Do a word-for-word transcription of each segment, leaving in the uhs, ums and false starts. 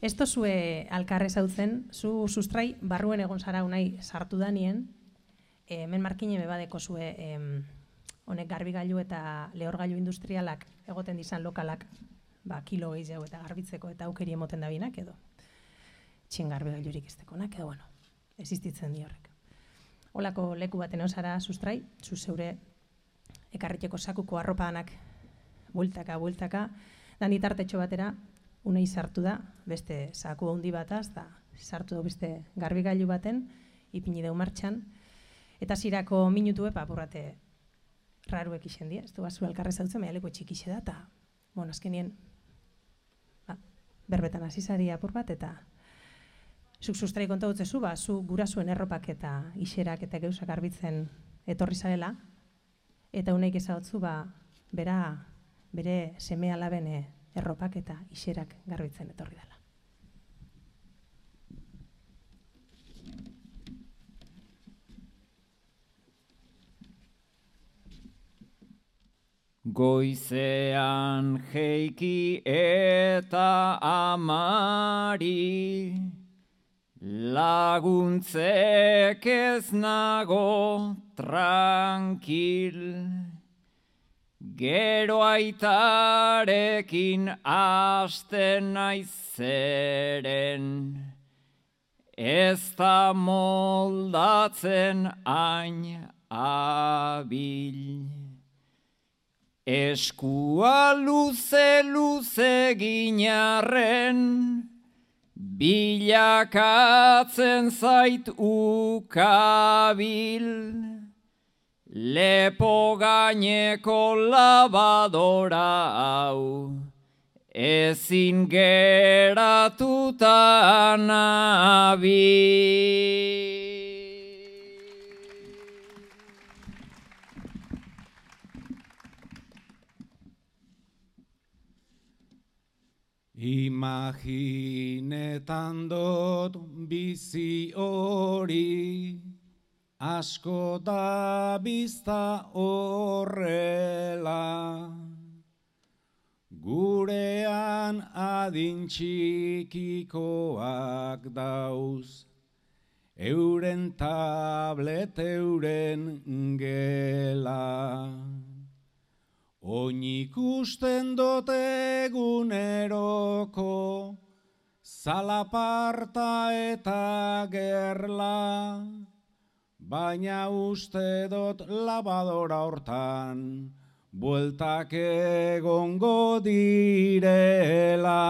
Ez tozue alkarrez hautzen, zu sustrai barruen egon zara unai sartu danien, hemen markine bebadeko zue honek garbigailu eta lehorgailu industrialak egoten dizan lokalak ba, kilo gehiago eta garbitzeko eta aukeri emoten da binak edo txin garbigailurik iztekonak edo bueno, existitzen di horrek. Olako leku baten osara sustrai, zu zeure ekarriteko sakuko arropanak bueltaka, bueltaka, dan itartetxo batera unai sartu da, beste saku handi bataz, da sartu da beste garbigailu baten, ipini deu martxan, eta zirako minutu epa apurrate raruek isen dia, ez du bazu alkarrez hautzen, maialeko txikixe da, eta, bueno, azkenien, ba, berbetan azizari apur bat, eta zuk sustrai konta dutzezu, ba, zu gurasuen erropak eta iserak eta geusak garbitzen etorri zarela, eta unaik ezagutzu, ba, bera, bere seme alaben erropak eta iserak garbitzen etorri dela. Goizean jeiki eta amari, laguntzek ez nago tranquil, gero aitarekin hasten naizeren, ez da moldatzen hain abil. Eskua luze luze ginarren, bilakatzen zait ukabil, lepo gaineko labadora hau, ezin geratuta nabil. Imaginetan dut bizi hori, asko da bizta horrela, gurean adin txikikoak dauz, euren tablet euren gela. Oin ikusten dut eguneroko, zalaparta eta gerla, baina uste dut labadora hortan, bueltak egongo direla.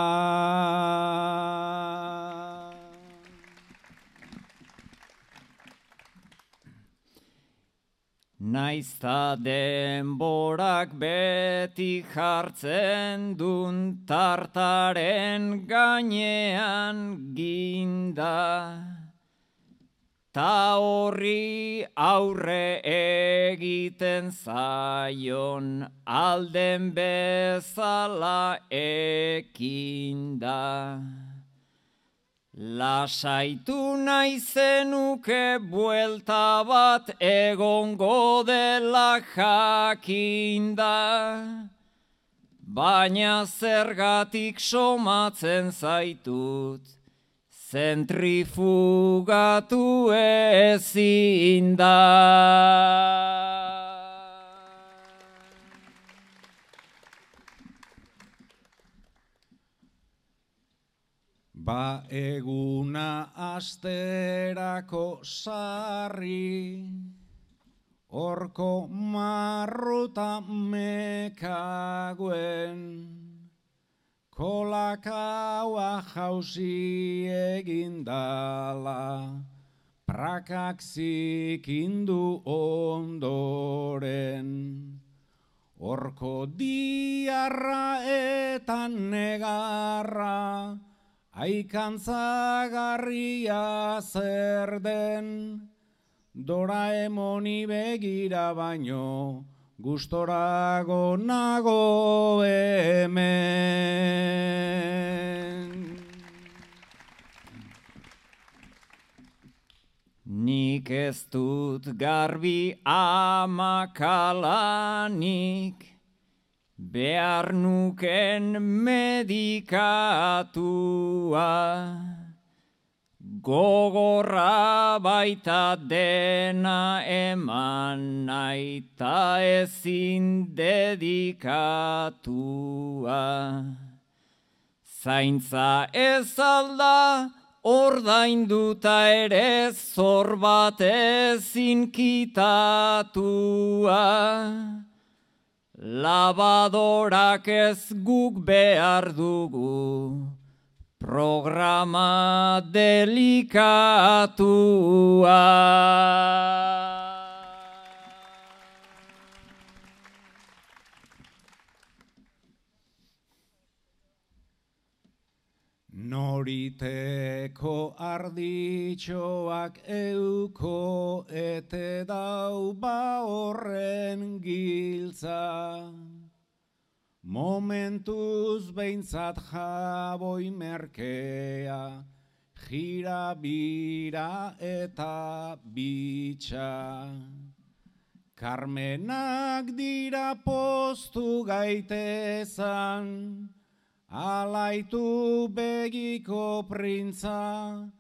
Naizta denborak beti jartzen dun tartaren gainean ginda, ta horri aurre egiten zaion alden bezala ekinda. Lasaitu naizenuke buelta bat egongo dela jakinda, baina zergatik somatzen zaitut, zentrifugatu ezin da. Ba eguna asterako sarri, horko marruta mekaguen, kolakaua jauzi egindala, prakak zikindu ondoren, horko diarra eta negarra, aikantzagarria zer den, Doraemoni begira baino, gustorago nago hemen. Nik ez dut garbi amakalanik, behar nuken medikatua. Gogorra baita dena eman nahi ta ezin dedikatua. Zaintza ez alda ordainduta ere zor bat ezin kitatua. Labadorak ez guk behar dugu, programa delikatua. Noriteko arditxoak euko ete dau ba horren giltza. Momentuz behintzat jaboi merkea, jira bira eta bitxa. Karmenak dira postu gaitezan, alaitu begiko printza,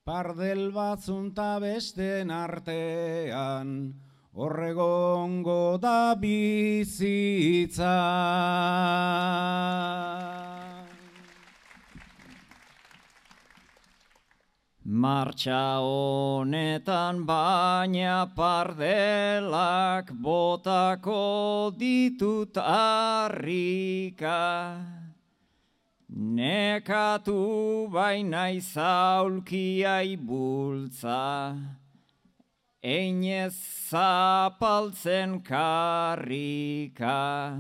pardel batzunta besten artean, horregongo da bizitza. Martxa honetan baina pardelak botako ditut harrika. Nekatu baina izaulkiai bultza, einez zapaltzen karrika.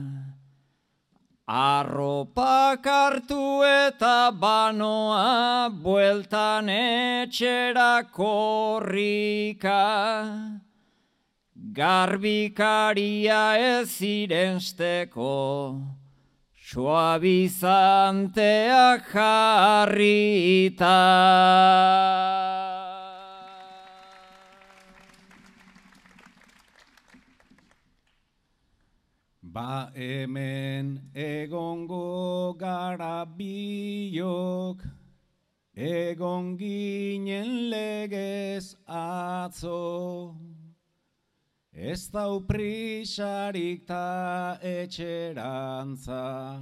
Arropak hartu eta banoa, bueltan etxera korrika. Garbikaria ez irensteko, suabizanteak jarrita. Ba hemen egongo gara biok, egon ginen legez atzo. Ez dau prisarik ta etxerantza,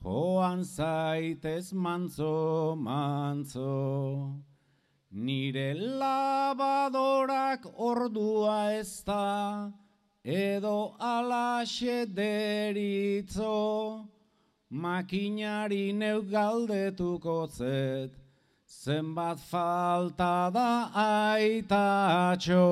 joan zaitez mantzo, mantzo. Nire labadorak ordua ez da, edo alaxe deritzo, makinari neuk galdetuko zet, zenbat falta da aitatxo.